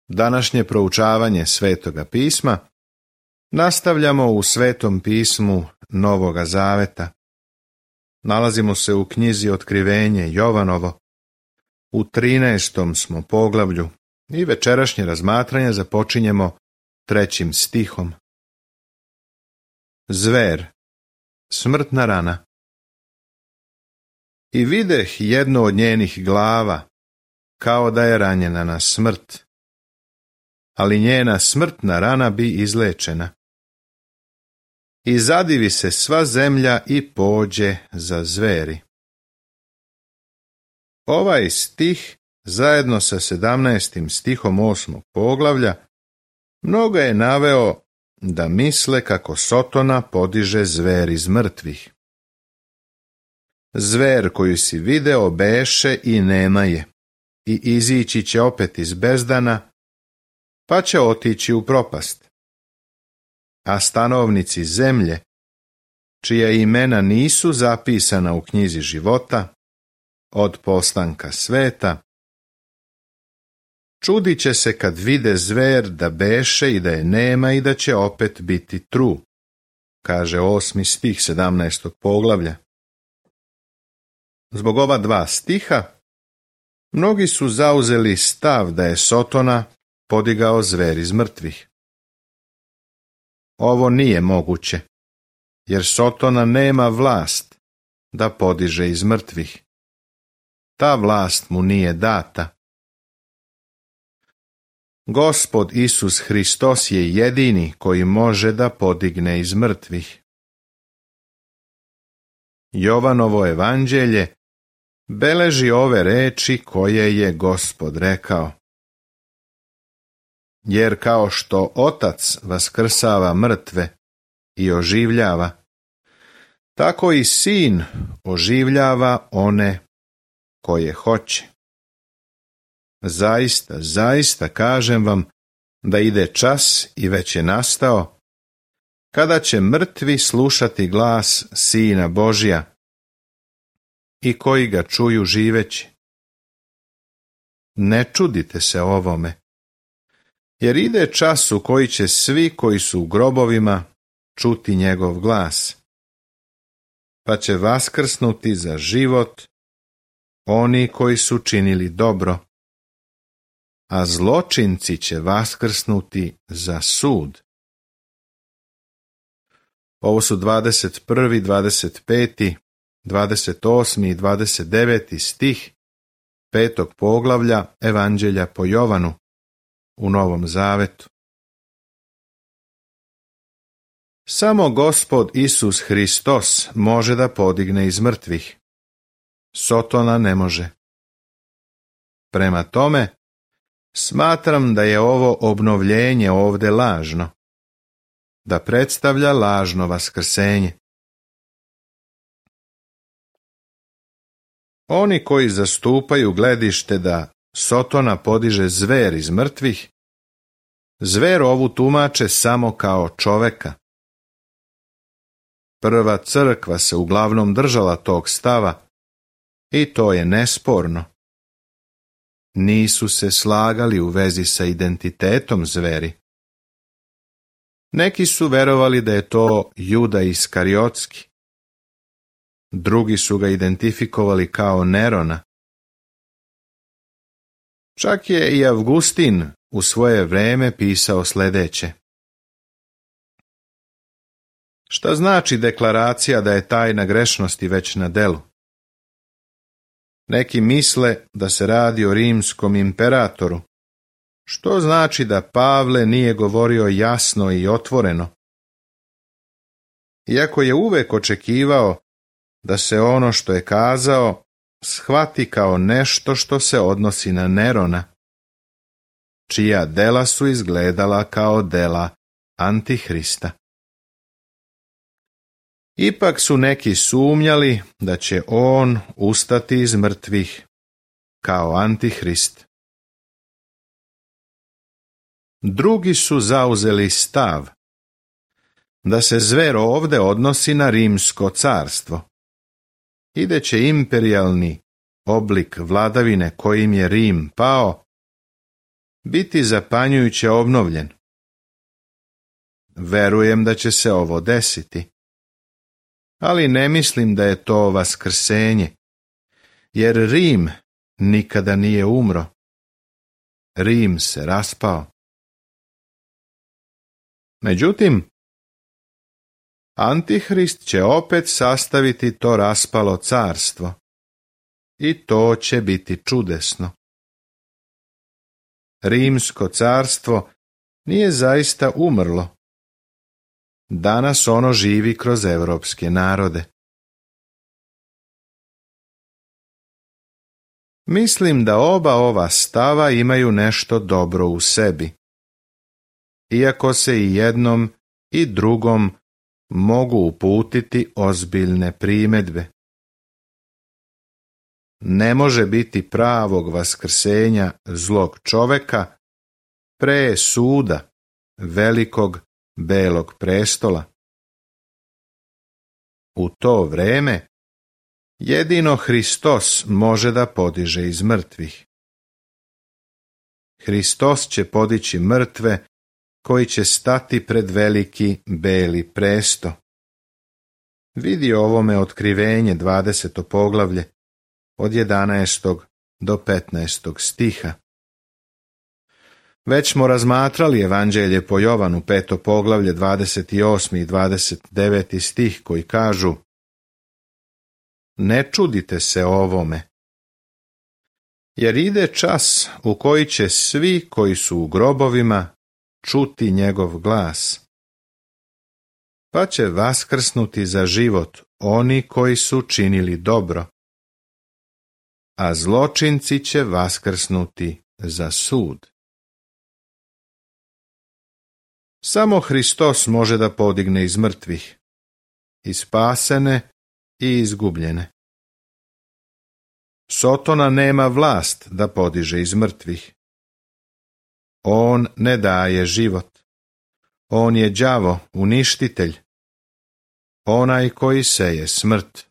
Današnje proučavanje Svetoga pisma nastavljamo u Svetom pismu Novoga Zaveta. Nalazimo se u knjizi Otkrivenje Jovanovo. U 13. smo poglavlju i večerašnje razmatranje započinjemo 3. stihom. Zver, smrtna rana. I videh jednu od njenih glava, kao da je ranjena na smrt, ali njena smrtna rana bi izlečena. I zadivi se sva zemlja i pođe za zveri. Ovaj stih, zajedno sa 17. stihom 8. poglavlja, mnogo je naveo da misle kako Sotona podiže zver iz mrtvih. Zver koju si video beše i nema je, i izići će opet iz bezdana, pa će otići u propast. A stanovnici zemlje, čija imena nisu zapisana u knjizi života, od postanka sveta, čudit će se kad vide zver da beše i da je nema i da će opet biti tru, kaže 8. stih 17. poglavlja. Zbog ova 2 stiha, mnogi su zauzeli stav da je Sotona podigao zver iz mrtvih. Ovo nije moguće, jer Sotona nema vlast da podiže iz mrtvih. Ta vlast mu nije data. Gospod Isus Hristos je jedini koji može da podigne iz mrtvih. Jovanovo evanđelje beleži ove reči koje je Gospod rekao. Jer kao što Otac vaskrsava mrtve i oživljava, tako i Sin oživljava one koje hoće. Zaista, zaista kažem vam da ide čas i već je nastao, kada će mrtvi slušati glas Sina Božja i koji ga čuju živeći. Ne čudite se ovome, jer ide čas u koji će svi koji su u grobovima čuti njegov glas, pa će vaskrsnuti za život oni koji su činili dobro, a zločinci će vaskrsnuti za sud. Ovo su 21., 25., 28. i 29. stih 5. poglavlja Evanđelja po Jovanu u Novom Zavetu. Samo Gospod Isus Hristos može da podigne iz mrtvih. Sotona ne može. Prema tome, smatram da je ovo obnovljenje ovde lažno, da predstavlja lažno vaskrsenje. Oni koji zastupaju gledište da Sotona podiže zver iz mrtvih, zver ovu tumače samo kao čoveka. Prva crkva se uglavnom držala tog stava i to je nesporno. Nisu se slagali u vezi sa identitetom zveri. Neki su verovali da je to Juda Iskariotski. Drugi su ga identifikovali kao Nerona. Čak je i Avgustin u svoje vreme pisao sljedeće. Šta znači deklaracija da je tajna grešnosti već na delu? Neki misle da se radi o rimskom imperatoru, što znači da Pavle nije govorio jasno i otvoreno. Iako je uvek očekivao da se ono što je kazao shvati kao nešto što se odnosi na Nerona, čija dela su izgledala kao dela Antihrista. Ipak su neki sumnjali da će on ustati iz mrtvih kao Antihrist. Drugi su zauzeli stav da se zver ovde odnosi na rimsko carstvo i da će imperijalni oblik vladavine kojim je Rim pao biti zapanjujuće obnovljen. Verujem da će se ovo desiti, ali ne mislim da je to vaskrsenje, jer Rim nikada nije umro. Rim se raspao. Međutim, Antihrist će opet sastaviti to raspalo carstvo i to će biti čudesno. Rimsko carstvo nije zaista umrlo. Danas ono živi kroz evropske narode. Mislim da oba ova stava imaju nešto dobro u sebi, iako se i jednom i drugom mogu uputiti ozbiljne primjedbe. Ne može biti pravog vaskrsenja zlog čoveka pre suda velikog belog prestola. U to vreme jedino Hristos može da podiže iz mrtvih. Hristos će podići mrtve koji će stati pred veliki beli presto. Vidi ovome Otkrivenje 20. poglavlje od 11. do 15. stiha. Već smo razmatrali Evanđelje po Jovanu 5. poglavlje 28. i 29. stih koji kažu: Ne čudite se ovome, jer ide čas u koji će svi koji su u grobovima čuti njegov glas, pa će vaskrsnuti za život oni koji su činili dobro, a zločinci će vaskrsnuti za sud. Samo Hristos može da podigne iz mrtvih, i spasene i izgubljene. Sotona nema vlast da podiže iz mrtvih. On ne daje život. On je đavo, uništitelj, onaj koji seje smrt.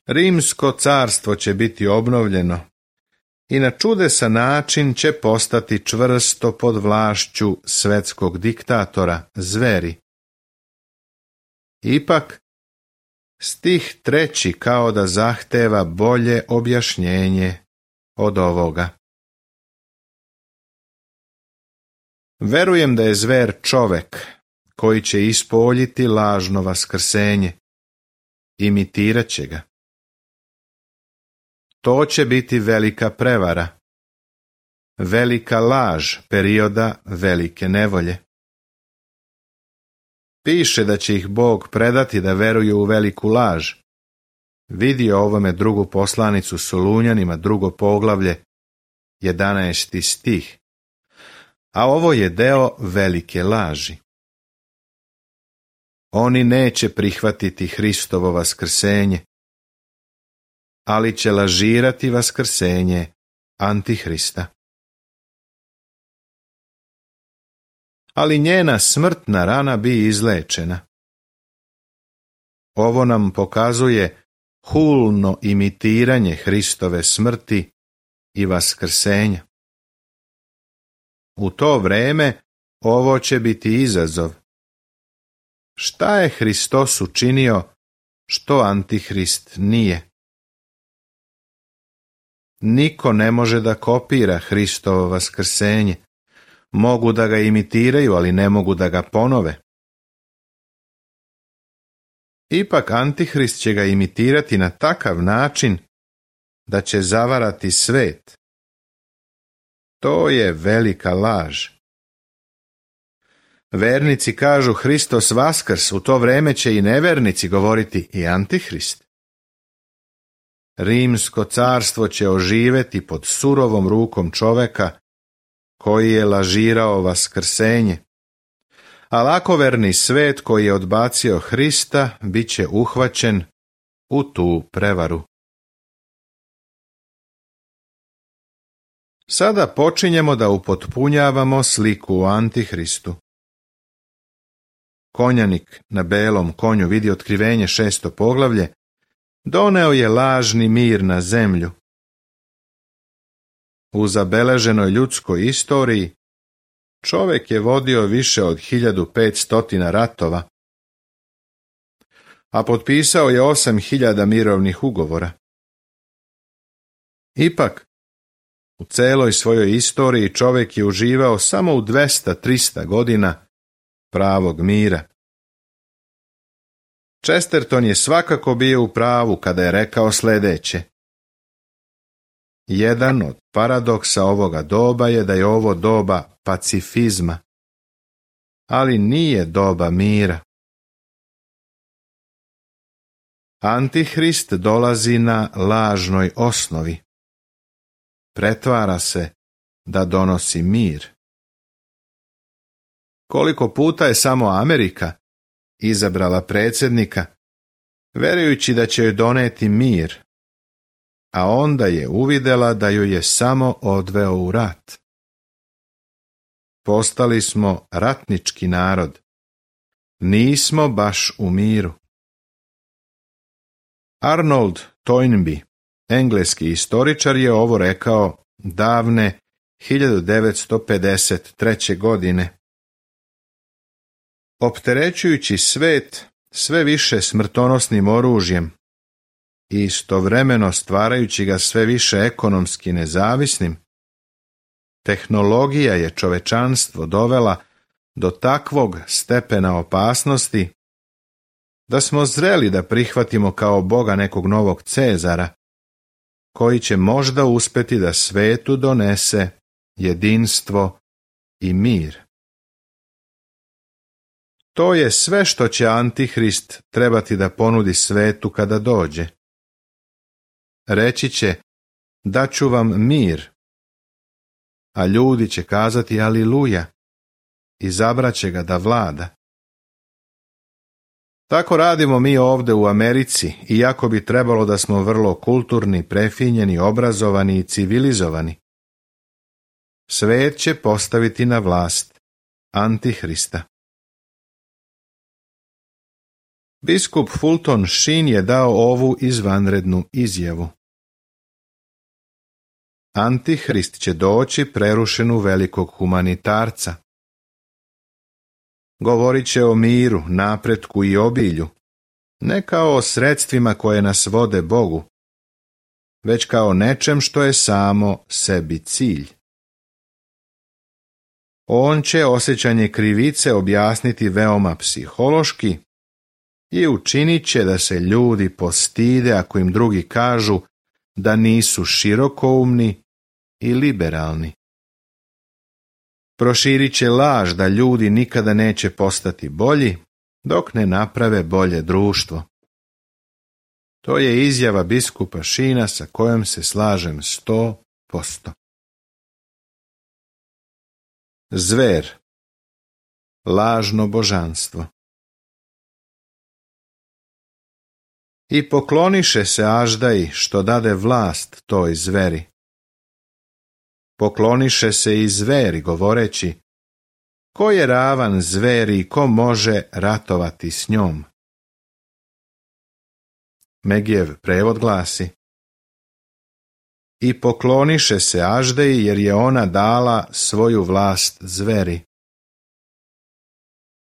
Rimsko carstvo će biti obnovljeno i na čudesan način će postati čvrsto pod vlašću svetskog diktatora, zveri. Ipak, stih 3. kao da zahteva bolje objašnjenje od ovoga. Verujem da je zver čovek koji će ispoljiti lažno vaskrsenje. Imitirat će ga. To će biti velika prevara, velika laž perioda velike nevolje. Piše da će ih Bog predati da veruju u veliku laž. Vidi ovome drugu poslanicu Solunjanima, 2. poglavlje, 11. stih. A ovo je deo velike laži. Oni neće prihvatiti Hristovo vaskrsenje, ali će lažirati vaskrsenje Antihrista. Ali njena smrtna rana bi izlečena. Ovo nam pokazuje hulno imitiranje Hristove smrti i vaskrsenja. U to vreme ovo će biti izazov. Šta je Hristos učinio što Antihrist nije? Niko ne može da kopira Hristovo vaskrsenje. Mogu da ga imitiraju, ali ne mogu da ga ponove. Ipak Antihrist će ga imitirati na takav način da će zavarati svet. To je velika laž. Vernici kažu Hristos vaskrs, u to vreme će i nevernici govoriti i Antihrist. Rimsko carstvo će oživeti pod surovom rukom čoveka koji je lažirao vaskrsenje, a lakoverni svet koji je odbacio Hrista bit će uhvaćen u tu prevaru. Sada počinjemo da upotpunjavamo sliku o Antihristu. Konjanik na belom konju, vidi Otkrivenje 6. poglavlje, doneo je lažni mir na zemlju. U zabeleženoj ljudskoj istoriji čovjek je vodio više od 1500 ratova, a potpisao je 8000 mirovnih ugovora. Ipak, u celoj svojoj istoriji čovjek je uživao samo u 200-300 godina pravog mira. Chesterton je svakako bio u pravu kada je rekao sljedeće: jedan od paradoksa ovoga doba je da je ovo doba pacifizma, ali nije doba mira. Antihrist dolazi na lažnoj osnovi. Pretvara se da donosi mir. Koliko puta je samo Amerika izabrala predsjednika, verujući da će joj doneti mir, a onda je uvidjela da ju je samo odveo u rat. Postali smo ratnički narod. Nismo baš u miru. Arnold Toynbee, engleski istoričar, je ovo rekao davne 1953. godine. Opterećujući svet sve više smrtonosnim oružjem i istovremeno stvarajući ga sve više ekonomski nezavisnim, tehnologija je čovečanstvo dovela do takvog stepena opasnosti da smo zreli da prihvatimo kao Boga nekog novog Cezara, koji će možda uspjeti da svetu donese jedinstvo i mir. To je sve što će Antihrist trebati da ponudi svetu kada dođe. Reći će: daću vam mir, a ljudi će kazati aliluja, izabraće ga da vlada. Tako radimo mi ovdje u Americi, iako bi trebalo da smo vrlo kulturni, prefinjeni, obrazovani i civilizovani. Svet će postaviti na vlast Antihrista. Biskup Fulton Sheen je dao ovu izvanrednu izjavu: Antihrist će doći prerušen u velikog humanitarca. Govorit će o miru, napretku i obilju, ne kao o sredstvima koje nas vode Bogu, već kao nečem što je samo sebi cilj. On će osjećanje krivice objasniti veoma psihološki i učinit će da se ljudi postide ako im drugi kažu da nisu širokoumni i liberalni. Proširit će laž da ljudi nikada neće postati bolji dok ne naprave bolje društvo. To je izjava biskupa Sheena sa kojom se slažem 100%. Zver, lažno božanstvo. I pokloniše se Aždaji što dade vlast toj zveri. Pokloniše se i zveri govoreći: ko je ravan zveri i ko može ratovati s njom? Megijev prevod glasi: i pokloniše se Aždeji jer je ona dala svoju vlast zveri.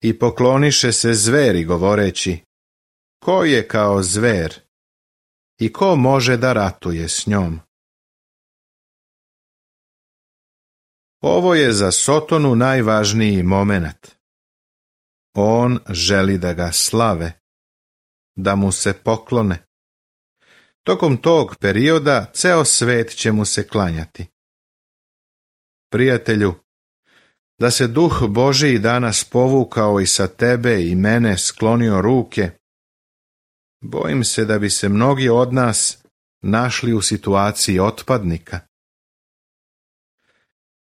I pokloniše se zveri govoreći: ko je kao zver i ko može da ratuje s njom? Ovo je za Sotonu najvažniji momenat. On želi da ga slave, da mu se poklone. Tokom tog perioda ceo svet će mu se klanjati. Prijatelju, da se Duh Božji danas povukao i sa tebe i mene sklonio ruke, bojim se da bi se mnogi od nas našli u situaciji otpadnika.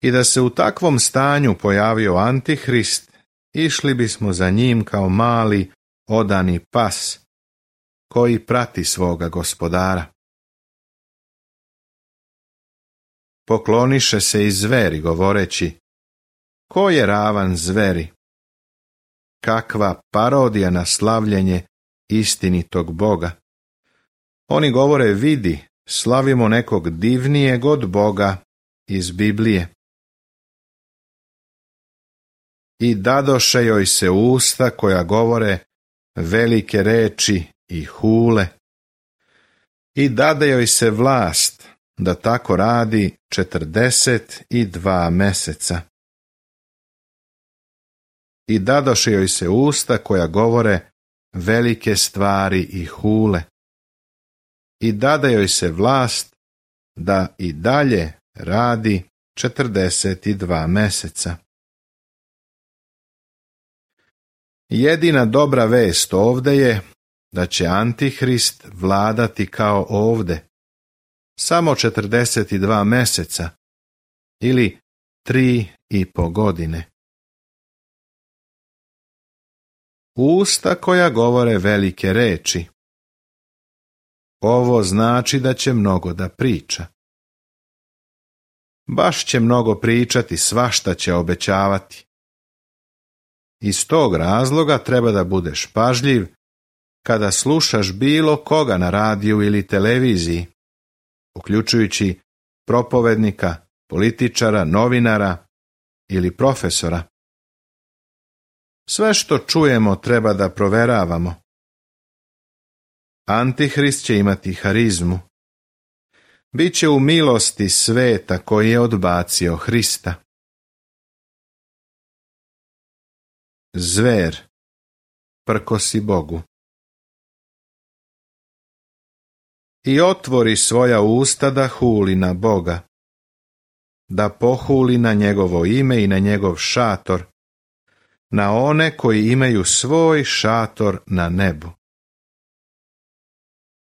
I da se u takvom stanju pojavio Antihrist, išli bismo za njim kao mali, odani pas, koji prati svoga gospodara. Pokloniše se i zveri govoreći: ko je ravan zveri? Kakva parodija na slavljenje istinitog Boga. Oni govore: vidi, slavimo nekog divnijeg od Boga, iz Biblije. I dadoše joj se usta koja govore velike reči i hule. I dade joj se vlast da tako radi 42 meseca. I dadoše joj se usta koja govore velike stvari i hule. I dade joj se vlast da i dalje radi 42 meseca. Jedina dobra vest ovde je da će Antihrist vladati kao ovde, samo 42 meseca ili 3,5 godine. Usta koja govore velike reči. Ovo znači da će mnogo da priča. Baš će mnogo pričati, svašta će obećavati. Iz tog razloga treba da budeš pažljiv kada slušaš bilo koga na radiju ili televiziji, uključujući propovednika, političara, novinara ili profesora. Sve što čujemo treba da proveravamo. Antihrist će imati harizmu. Biće u milosti sveta koji je odbacio Hrista. Zver, prkosi Bogu. I otvori svoja usta da huli na Boga, da pohuli na njegovo ime i na njegov šator, na one koji imaju svoj šator na nebu.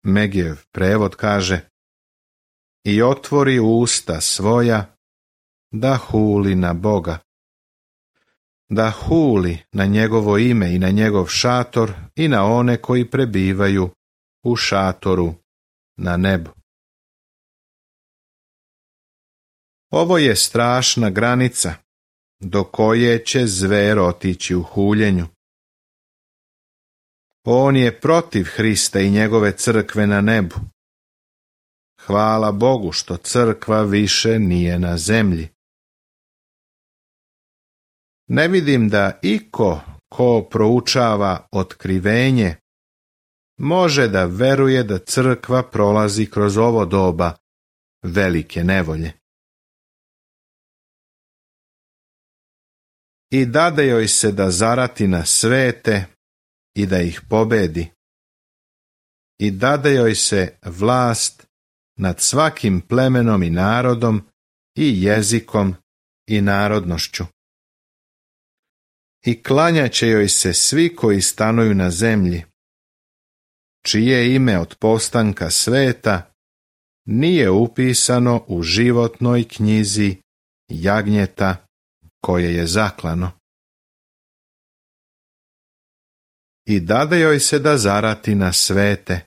Megijev prevod kaže: i otvori usta svoja da huli na Boga, da huli na njegovo ime i na njegov šator i na one koji prebivaju u šatoru na nebu. Ovo je strašna granica do koje će zver otići u huljenju. On je protiv Hrista i njegove crkve na nebu. Hvala Bogu što crkva više nije na zemlji. Ne vidim da iko ko proučava otkrivenje može da veruje da crkva prolazi kroz ovo doba velike nevolje. I dade joj se da zarati na svete i da ih pobedi. I dade joj se vlast nad svakim plemenom i narodom i jezikom i narodnošću. I klanjaće joj se svi koji stanuju na zemlji, čije ime od postanka sveta nije upisano u životnoj knjizi jagnjeta koje je zaklano. I dade joj se da zarati na svete.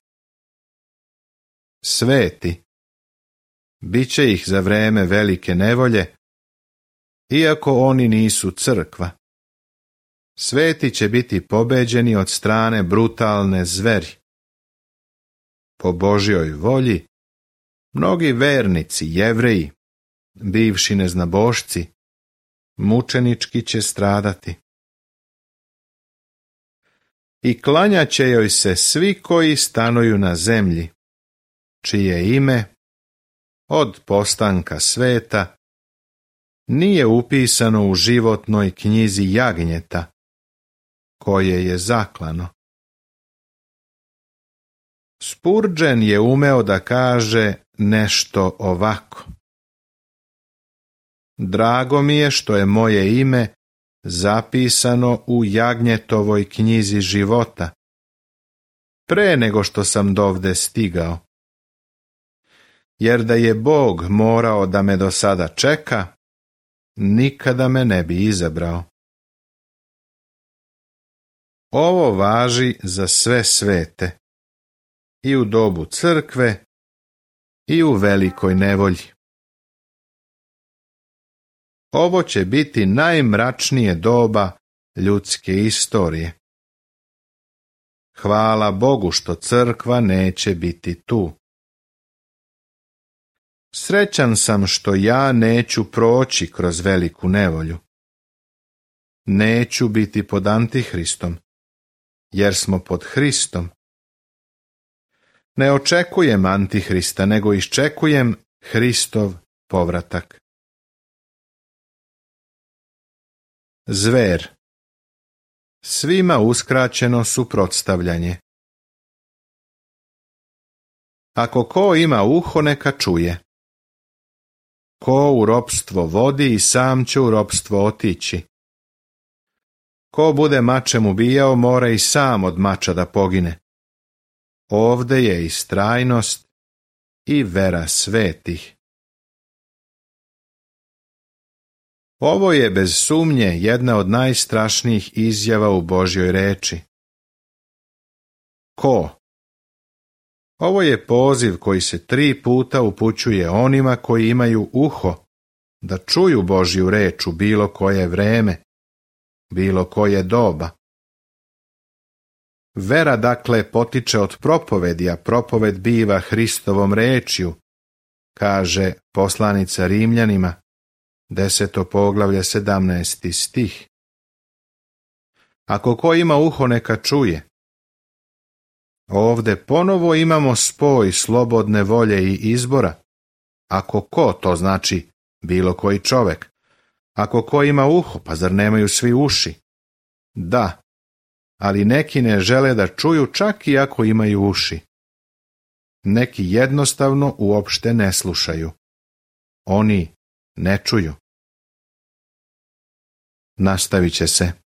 Sveti, bit će ih za vreme velike nevolje, iako oni nisu crkva. Sveti će biti pobeđeni od strane brutalne zveri. Po Božjoj volji, mnogi vernici, Jevreji, bivši neznabošci, mučenički će stradati. I klanjaće joj se svi koji stanuju na zemlji, čije ime od postanka sveta nije upisano u životnoj knjizi jagnjeta koje je zaklano. Spurgeon je umeo da kaže nešto ovako: drago mi je što je moje ime zapisano u jagnjetovoj knjizi života, pre nego što sam dovde stigao. Jer da je Bog morao da me do sada čeka, nikada me ne bi izabrao. Ovo važi za sve svete, i u dobu crkve, i u velikoj nevolji. Ovo će biti najmračnije doba ljudske istorije. Hvala Bogu što crkva neće biti tu. Srećan sam što ja neću proći kroz veliku nevolju. Neću biti pod Antihristom, jer smo pod Hristom. Ne očekujem Antihrista, nego iščekujem Hristov povratak. Zver. Svima uskraćeno suprotstavljanje. Ako ko ima uho, neka čuje. Ko u ropstvo vodi, i sam će u ropstvo otići. Ko bude mačem ubijao, mora i sam od mača da pogine. Ovde je istrajnost i vera svetih. Ovo je bez sumnje jedna od najstrašnijih izjava u Božjoj reči. Ko? Ovo je poziv koji se 3 puta upućuje onima koji imaju uho da čuju Božju reč u bilo koje vreme, bilo koje doba. Vera dakle potiče od propovedi, a propoved biva Hristovom rečju, kaže poslanica Rimljanima, 10. poglavlje 17. stih. Ako ko ima uho, neka čuje. Ovde ponovo imamo spoj slobodne volje i izbora. Ako ko, to znači bilo koji čovek. Ako ko ima uho, pa zar nemaju svi uši? Da, ali neki ne žele da čuju čak i ako imaju uši. Neki jednostavno uopšte ne slušaju. Oni ne čuju. Nastavit će se.